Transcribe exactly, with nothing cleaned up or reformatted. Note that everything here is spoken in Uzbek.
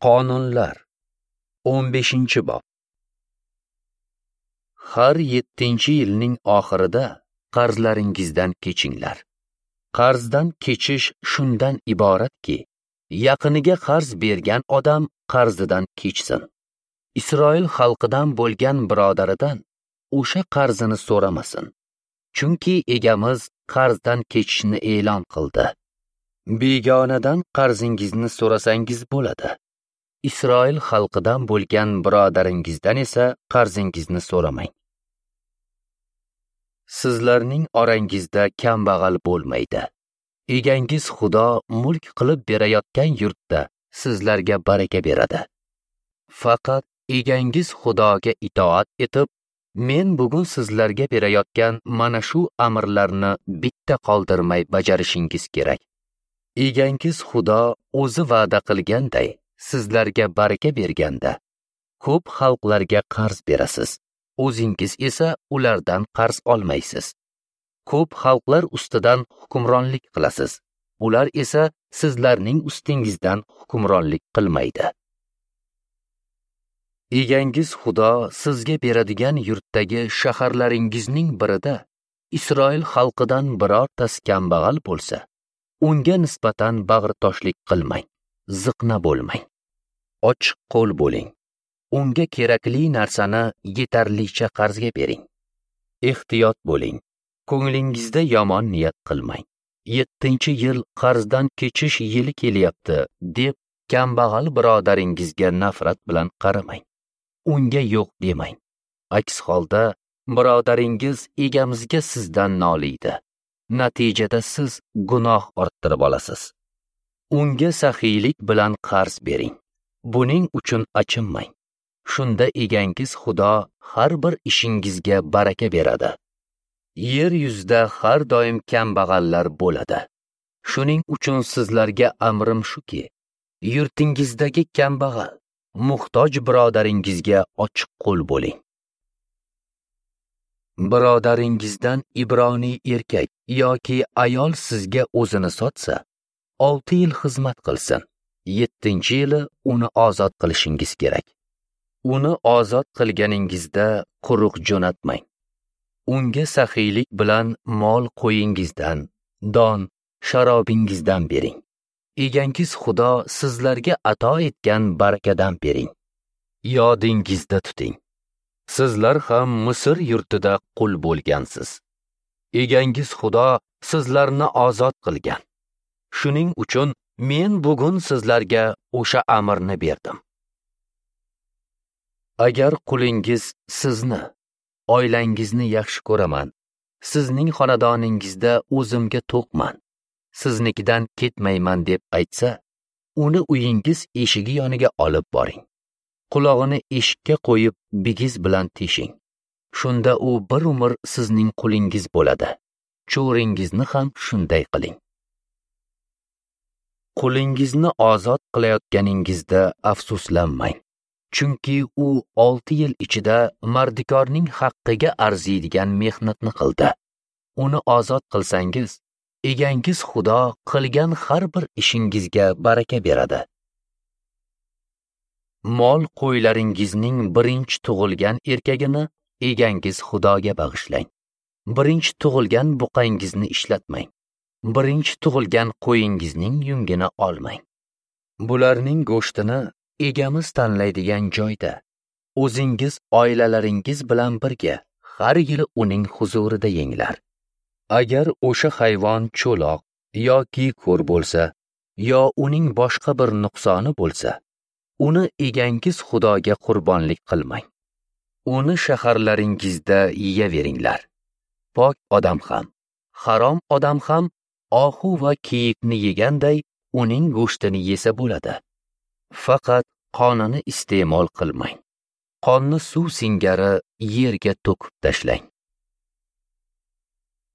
Qonunlar o'n beshinchi bob. Har yettinchi yilning oxirida qarzlaringizdan kechinglar. Qarzdan kechish shundan iboratki, yaqiniga qarz bergan odam qarzidan kechsin. Isroil xalqidan bo'lgan birodaridan o'sha qarzini so'ramasin. Chunki egamiz qarzdan kechishni e'lon qildi. Begonadan qarzingizni so'rasangiz bo'ladi. Isroil xalqidan bo'lgan birodaringizdan esa qarzingizni so'ramang. Sizlarning orangizda kambag'al bo'lmaydi. Egangiz Xudo mulk qilib berayotgan yurtda sizlarga baraka beradi. Faqat egangiz Xudoga itoat etib, men bugun sizlarga berayotgan mana shu amrlarni bitta qoldirmay bajarishingiz kerak. Egangiz Xudo o'zi va'da qilganday sizlarga baraka berganda, ko'p xalqlarga qarz berasiz, o'zingiz esa ulardan qarz olmaysiz. Ko'p xalqlar ustidan hukmronlik qilasiz, ular esa sizlarning ustingizdan hukmronlik qilmaydi. Egangiz Xudo sizga beradigan yurtdagi shaharlaringizning birida Isroil xalqidan birortasi kambag'al bo'lsa, unga nisbatan bag'ritoshlik qilmang, ziqna bo'lmang. Ochiq qo'l bo'ling. Unga kerakli narsani yetarlicha qarzga bering. Ehtiyot bo'ling. Ko'nglingizda yomon niyat qilmang. Yettinchi yil qarzdan kechish yili kelyapti deb kambag'al birodaringizga nafrat bilan qaramang. Unga yo'q demang. Aks holda birodaringiz egamizga sizdan noliydi. Natijada siz gunoh orttirib olasiz. Unga saxiylik bilan qarz bering. Buning uchun achinmang. Shunda egangiz Xudo har bir ishingizga baraka beradi. Yer yuzida har doim kambag'allar bo'ladi. Shuning uchun sizlarga amrim shuki, yurtingizdagi kambag'al, muhtoj birodaringizga ochiq qo'l bo'ling. Birodaringizdan ibroniy erkak yoki ayol sizga o'zini sotsa, olti yil xizmat qilsin. Yettinchi yili uni ozod qilishingiz kerak. Uni ozod qilganingizda quruq jo'natmang. Unga saxiylik bilan mol qo'yingizdan, don, sharobingizdan bering. Egangiz Xudo sizlarga ato etgan barakadan bering. Yodingizda tuting. Sizlar ham Misr yurtida qul bo'lgansiz. Egangiz Xudo sizlarni ozod qilgan. Shuning uchun men bugun sizlarga o'sha amrni berdim. Agar qulingiz sizni, oilangizni yaxshi ko'raman, sizning xonadoningizda o'zimga to'qman, siznikidan ketmayman deb aytsa, uni uyingiz eshigi yoniga olib boring. Qulog'ini eshikka qo'yib, bigiz bilan teshing. Shunda u bir umr sizning qulingiz bo'ladi. Cho'ringizni ham shunday qiling. Qulingizni ozod qilayotganingizda afsuslanmang. Chunki u olti yil ichida mardikorning haqqiga arziydigan mehnatni qildi. Uni ozod qilsangiz, egangiz Xudo qilgan har bir ishingizga baraka beradi. Mol qo'ylaringizning birinchi tug'ilgan erkagini egangiz Xudoga bag'ishlang. Birinchi tug'ilgan buqangizni ishlatmang. Birinchi tug'ilgan qo'yingizning yungini olmang. Bularning go'shtini egamiz tanlaydigan joyda o'zingiz oilalaringiz bilan birga har yili uning huzurida yenglar. Agar o'sha hayvon cho'loq yoki ko'r bo'lsa, yo uning boshqa bir nuqsoni bo'lsa, uni egangiz Xudoga qurbonlik qilmang. Uni shaharlaringizda yeyaveringlar. Pok odam ham, harom odam ham ohu va kiyikni yeganday uning go'shtini yesa bo'ladi. Faqat qonini iste'mol qilmang. Qonni suv singari yerga to'kib tashlang.